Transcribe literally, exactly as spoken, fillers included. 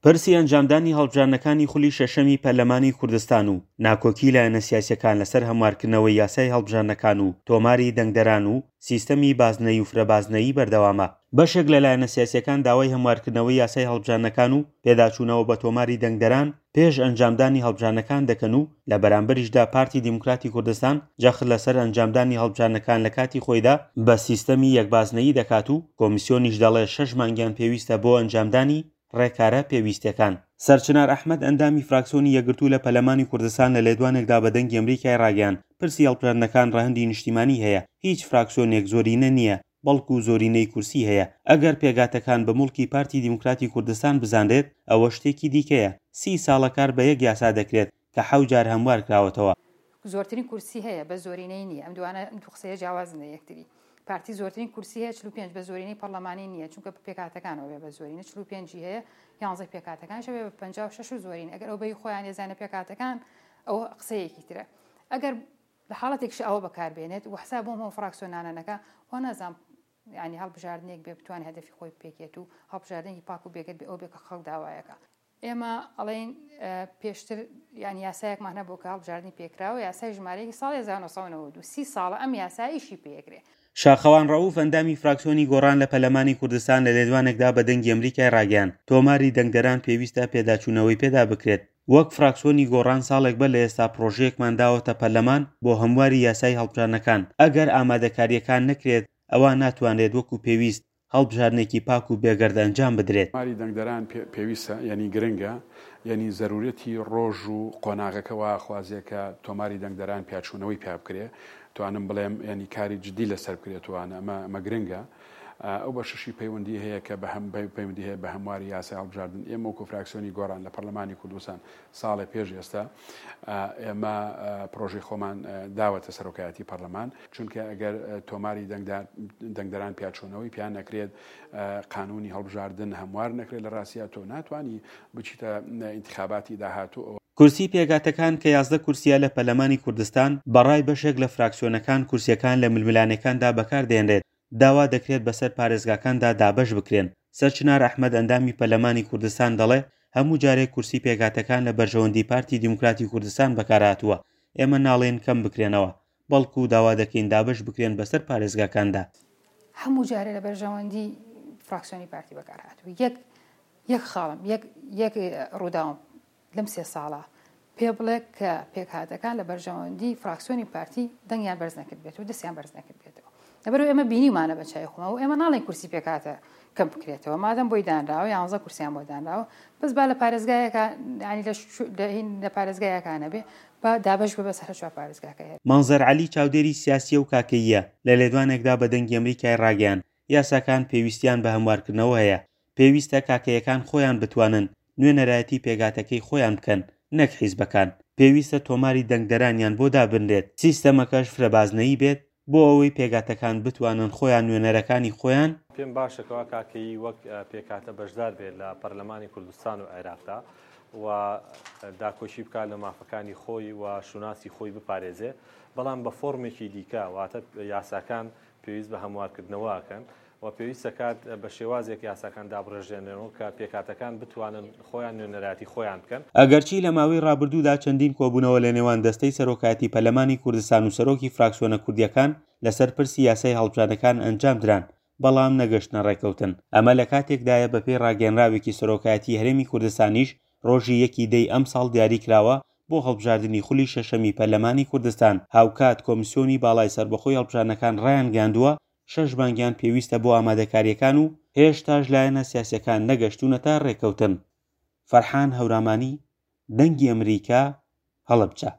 پرسی ئەنجامدانی هەڵبژاردنەکانی خولی شەشەمی پەرلەمانی کوردستان و ناکۆکی لایەنە سیاسیەکان لەسەر هەموارکردنەوەی یاسای هەڵبژاردنەکان و تۆماری دەنگدەران و سیستەمی بازنەیی و فرەبازنەیی بەردەوامە. بەشێک لە لایەنە سیاسیەکان داوای هەموارکردنەوەی یاسای هەڵبژاردنەکان و پێداچوونەوە بە تۆماری دەنگدەران پێش ئەنجامدانی هەڵبژاردنەکان دەکەن و لە بەرامبەریشدا پارتی دیموکراتی کوردستان جەخت لەسەر ئەنجامدانی هەڵبژاردنەکان لە کاتی خۆیدا بە سیستەمی یەکبازنەیی دەکات و کۆمیسیۆنیش دەڵێ شەش مانگیان پێویستە بۆ ئەنجامدانی ڕێکارە پێویستەکان. سەرچنار ئەحمەد ئەندامی فراکسیۆنی یەکگرتوو لە پەرلەمانی کوردستان لە لێدوانێکدا بە دەنگی ئەمریکای ڕاگەیاند پرسی هەڵبژاردنەکان ڕەهەندی نیشتیمانی هەیە، هیچ فراکسیۆنێک زۆرینە نییە بەڵکو زۆرینەی کورسی هەیە، ئەگەر پێکهاتەکان بە موڵکی پارتی دیموکراتی کوردستان بزانرێت ئەوە شتێکی دیکەیە، سی ساڵە کار بە یەک یاسا دەکرێت کە حەوت جار هەموار کراوەتەوە. زۆرترین کورسی هەیە بە زۆرینەی نییە، ئەم دوانە ئەم دوو قسەیە جیاوازن لە یەکتری. پارتی زۆرترین کورسی هەیە چل و پێنج بە زۆرینەی پەرلەمانی نییە، چونکە پێکهاتەکانەوە بێ بە زۆرینە چل و پێنجی هەیە، یانزەی پێکهاتەکانیش بێ بە پەنجا و شەش و زۆرینە. ئەگەر ئەو بەی خۆیان ێزانە پێکهاتەکان ئەوە قسەیەکی ترە. ئەگەر لە حاڵەتێکش ئەوە بەکاربێنێت و حساب بۆ هەموو فراکسیۆنانە نەکا، وا نازانم یعنی هەڵبژاردنێک بێ بتوانێت هەدەفی خۆی پێکێت و هەڵبژاردنێکی پاک و بێگەرد بێ ئەو بێ کە خەڵک داوایەکە. ئێمە ئەڵێین پێشتر یعنی یاسایەکمان هەبوو کە هەڵبژاردنی پێکراوە، یاسای ژمارەیەکی ساڵی هەزار و نۆ سەد و نەوەد و سی ساڵە ئەم یاسا ئیشی پێکرێ. شاخەوان ڕەئوف ئەندامی فراکسیۆنی گۆڕان لە پەرلەمانی کوردستان لە لێدوانێکدا بە دەنگی ئەمریکای ڕاگەیاند تۆماری دەنگدەران پێویستە پێداچوونەوەی پێدا بکرێت. وەک فراکسیۆنی گۆڕان ساڵێک بەر لە ئێستا پرۆژەیەکمان داوەتە پەرلەمان بۆ هەمواری یاسای هەڵبژاردنەکان، ئەگەر ئامادەکاریەکان نەکرێت ئەوا ناتوانرێت وەکو پێویست هەڵبژاردنێکی پاک و بێگەرد ئەنجام بدرێت. تۆماری دەنگدەران پێویستە، یعنی گرنگە، یعنی زەرورەتی ڕۆژ و قۆناغەکە وا خوازیە کە تۆماری دەنگدەران پیاچوونەوەی پیا بکرێ، توانم بڵێم یعنی کاری جدی لەسەر بکرێتوانە، ئەمە ئەمە گرنگە. ئەو بەشەشی پەیوەندی هەیە کە بە هەم پەیوەندی هەیە بە هەمواری یاسای هەڵبژاردن. ئێمە وەکو فراکسیۆنی گۆڕان لە پەرلەمانی کوردستان ساڵێ پێش ئێستا ئێمە پرۆژەی خۆمان داوەتە سەرۆکایەتی پەرلەمان، چونکە ئەگەر تۆماری دەنگدەران پیاچوونەوەی پیان نەکرێت، قانونی هەڵبژاردن هەموار نەکرێت، لە ڕاستیا تۆ ناتوانی بچیتە ئینتخاباتی داهاتوو. کورسی پێکهاتەکان کە یازدە کورسیە لە پەرلەمانی کوردستان، بەڕای بەشێک لە فراکسیۆنەکان کورسیەکان لە ململانێکاندا بەکاردێنرێت، داوا دەکرێت بەسەر پارێزگاکاندا دابەش بکرێن. سەرچنار ئەحمەد ئەندامی پەرلەمانی کوردستان دەڵێ هەموو جارێک کورسی پێکهاتەکان لە بەرژەوەندی پارتی دیموکراتی کوردستان بەکارهاتووە، ئێمە ناڵێن کەم بکرێنەوە، بەڵکو داوا دەکەین دابەش بکرێن بەسەر پارێزگاکاندا. هەموو جارێ لە بەرژەوەندی فراکسیۆنی پارتی بەکارهاتووە. یەک یەک خاڵم، یەک یەک ڕووداوم لەم سێ ساڵە پێ بڵێ کە پێکهاتەکان لە بەرژەوەندی فراکسیۆنی پارتی دەنگیان بەرز نەکرد بێت و دەستیان بەرز نەکرد بێتەوە. لەبەرەوە ئێمە بینیمانە بە چای خۆمەوە، ئێمە ناڵێن کورسی پێکهاتە کەم بکرێتەوە، مادەم بۆی دانراوە یانزە کورسیان بۆ دانراوە، بەس با لە پارێزگایەکە، یعنی لە پارێزگایەکانە بێ با دابەش بێ بەسەر هەر چوار پارێزگاکە هەیە. مەنزەر عەلی چاودێری سیاسیە و کاکەییە لە لێدوانێکدا بە دەنگی ئەمریکای ڕاگەیاند یاساکان پێویستیان بە هەموارکردنەوە هەیە، پێویستە کاکەیەکان خۆیان بتوانن نوێنەرایەتی پێکهاتەکەی خۆیان بکەن نەک حیزبەکان، پێویستە تۆماری دەنگدەرانیان بۆ دابنرێت، سیستەمەکەش فرەبازنەیی بێت بۆ ئەوەی پێکهاتەکان بتوانن خۆیان نوێنەرەکانی خۆیان. پێم باشەکەەوە کاکەیی وەک پێکهاتە بەشدار بێت لە پەرلەمانی کوردستان و عێراقدا و داکۆکی بکات لە مافەکانی خۆی و شوناسی خۆی بپارێزێ، بەڵام بە فۆرمێکی دیکە، واتە یاساکان پێویست بە هەموارکردنەوەکەن و پێویستە کات بە شێوازێک یاساکان دابڕێژێنەوە کە پێکهاتەکان بتوانن خۆیان نوێنەرایەتی خۆیان بکەن. ئەگەرچی لە ماوەی ڕابردوودا چەندین کۆبوونەوە لە نێوان دەستەی سەرۆکایەتی پەرلەمانی کوردستان و سەرۆکی فراکسیۆنە کوردیەکان لەسەر پرسی یاسای هەڵبژاردنەکان ئەنجام دران، بەڵام نەگەشتنە ڕێککەوتن. ئەمە لە کاتێکدایە بەپێی ڕاگەیەنراوێکی سەرۆکایەتی هەرێمی کوردستانیش ڕۆژی یەکی دەی ئەمساڵ دیاری کراوە بۆ هەڵبژاردنی خولی شەشەمی پەرلەمانی کوردستان. هاوکات کۆمیسیۆنی باڵای سەربەخۆی هەڵبژاردنەکان ڕایانگەیاندووە شەش مانگیان پێویستە بۆ ئامادەکاریەکان و هێشتاش لایەنە سیاسیەکان نەگەشتونەتە ڕێککەوتن. فەرحان هەورامانی، دەنگی ئەمریکا، هەڵەبجە.